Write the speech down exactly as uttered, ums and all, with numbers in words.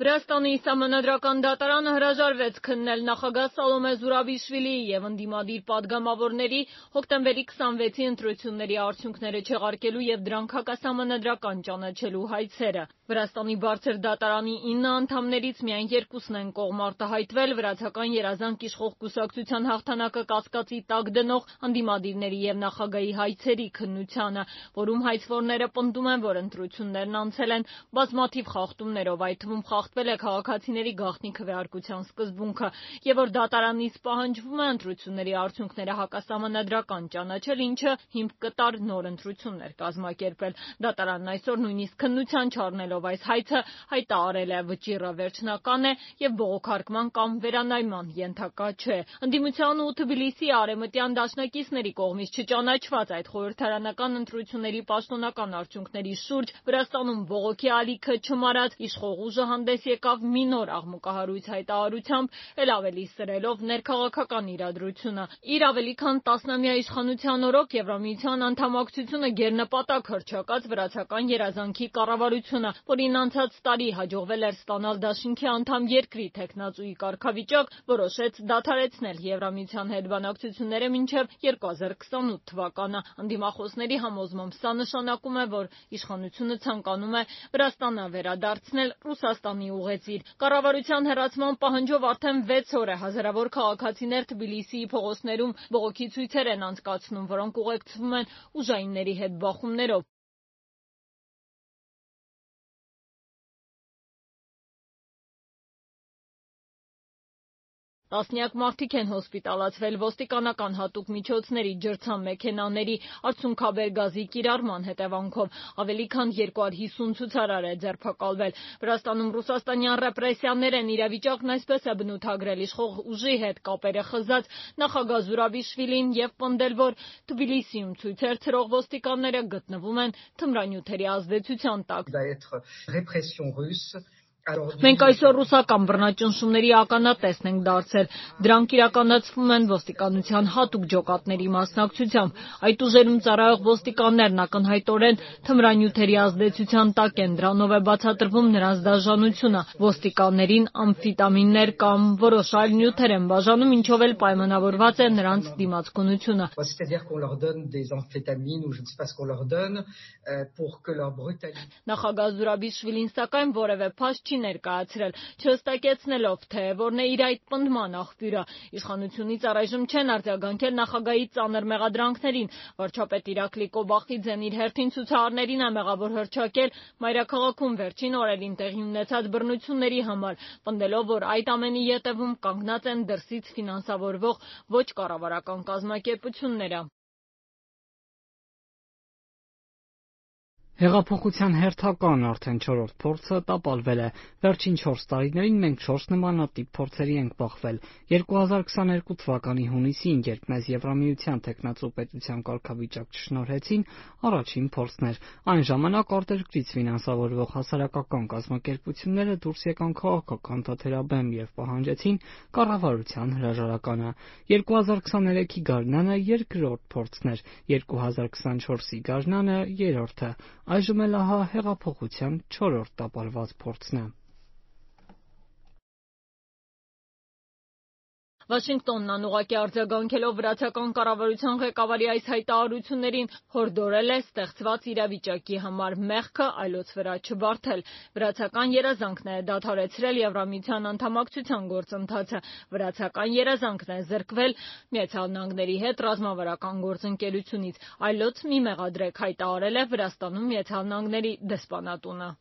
Վրաստանի սահմանադրական դատարանը հրաժարվեց քննել նախագահ Սալոմե Զուրաբիշվիլիի և ընդդիմադիր պատգամավորների հոկտեմբերի քսանվեցի ընտրությունների արդյունքները չեղարկելու և դրանք հակասահմանադրական ճանաչելու հայցերը։ Վրաստանի բարձր դատարանի ինը անդամներից միայն երկուսն են կողմ արտահայտվել վրացական երազանք իշխող կուսակցության հաղթանակը կասկածի տակ դնող ընդդիմադիրների և նախագահի հայցերի քննությանը, որում հայցվորները պնդում են, որ ընտրություններն անցել են բազմաթիվ խախտումներով, այդ թվում խախտվել է քաղաքացիների գաղտնի քվեարկության սկզբունքը, և որ դատարանից պահանջվում է ընտրությունների արդյունքները հակասահմանադրական ճանաչել, ինչը հիմք կտար նոր ընտրություններ կազմակերպել։ Դատարանն այսօր նույնիսկ քննության չառնելով այս հայցը հայտարարել է՝ վճիռը վերջնական է և բողոքարկման կամ վերանայման ենթակա չէ։ Ընդդիմության ու Թբիլիսիի արևմտյան դաշնակիցների կողմից չճանաչված այդ խորհրդարանական ընտրությունների պաշտոնական արդյունքների շուրջ Վրաստանում բողոքի ալիքը չմարած իշխող ուժը հանդես եկավ մի նոր աղմուկահարույց հայտարարությամբ, էլ ավելի սրելով ներքաղաքական իրադրությունը։ Իր ավելի քան տասնամյա իշխանության օրոք Եվրամիության անդամակցությունը գերնպատակ հռչակած վրացական երազանքի կառավարությունը, որին անցած տարի հաջողվել էր ստանալ դաշինքի անդամ երկրի թեկնածուի կարգավիճակ, որոշեց դադարեցնել Եվրամիության հետ բանակցությունները մինչև երկու հազար քսանութ թվականը։ Ընդդիմախոսների համոզմամբ սա նշանակում է, որ իշխանությունը ցանկանում է Վրաստանը վերադարձնել Ռուսաստանի ուղեծիր։ Կառավարության հեռացման պահանջով արդեն վեց օր է հազարավոր քաղաքացիներ Թբիլիսիի փողոցներում բողոքի ցույցեր են անցկացնում, որոնք ուղեկցվում են ուժայինների հետ բախումներով։ Տասնյակ մարդիկ են հոսպիտալացվել ոստիկանական հատուկ միջոցների, ջրցան-մեքենաների, արցունքաբեր գազի կիրառման հետևանքով։ Ավելի քան երկու հարյուր հիսուն ցուցարար է ձերբակալվել։ Վրաստանում ռուսաստանյան ռեպրեսիաներ են իրավիճակն այսպես է բնութագրել իշխող ուժի հետ կապերը խզած նախագահ Զուրաբիշվիլին և պնդել, որ Թբիլիսիում ցույցեր ցրող ոստիկանները գտնվում են թմրանյութերի ազդեցության տակ։ Մենք այսօր ռուսական բռնաճնշումների ականատեսն ենք դարձել։ Դրանք իրականացվում են ոստիկանության հատուկ ջոկատների մասնակցությամբ։ Այդ ուժերում ծառայող ոստիկաններն ակնհայտորեն թմրանյութերի ազդեցության տակ են, դրանով է բացատրվում նրանց դաժանությունը։ Ոստիկաններին ամֆետամիններ կամ որոշ այլ նյութեր են բաժանում, ինչով էլ պայմանավորված է նրանց դիմացկունությունը։ Նախագահ Զուրաբիշվիլին սակայն որևէ փաստ չի ներկայացրել, չհստակեցնելով, թե որն է իր այդ պնդման աղբյուրը։ Իշխանությունից առայժմ չեն արձագանքել նախագահի ծանր մեղադրանքներին։ Վարչապետ Իրակլի Կոբախիձեն իր հերթին ցուցարարներին է մեղավոր հռչակել մայրաքաղաքում վերջին օրերին տեղի ունեցած բռնությունների համար, պնդելով, որ այդ ամենի ետևում կանգնած են դրսից ֆինանսավորվող ոչ կառավարական կազմակերպությունները։ Հեղափոխության հերթական արդեն չորրորդ փորձը տապալվել է։ Վերջին չորս տարիներին մենք չորս նմանատիպ փորձերի ենք բախվել։ երկու հազար քսաներկու թվականի հունիսին, երբ մեզ Եվրամիության թեկնածու պետության կարգավիճակ չշնորհեցին, առաջին փորձն էր։ Այն ժամանակ արտերկրից ֆինանսավորվող հասարակական կազմակերպությունները դուրս եկան քաղաքական թաթերաբեմ և պահանջեցին կառավարության հրաժարականը։ երկու հազար քսաներեքի գարնանը երկրորդ փորձն էր, երկու հազար քսանչորսի գարնանը երրորդը։ Այժմ էլ ահա հեղափոխության չորրորդ տապալված փորձն է։ Վաշինգտոնն անուղղակի արձագանքելով վրացական կառավարության ղեկավարի այս հայտարարություններին հորդորել է ստեղծված իրավիճակի համար մեղքը այլոց վրա չբարթել։ Վրացական երազանքն է դադարեցրել Եվրամիության անդամակցության գործընթացը։ Վրացական երազանքն է զրկվել Միացյալ Նահանգների հետ ռազմավարական գործընկերությունից։ Այլոց մի մեղադրեք, հայտարարել է Վրաստանում Միացյալ Նահանգների դեսպանատունը։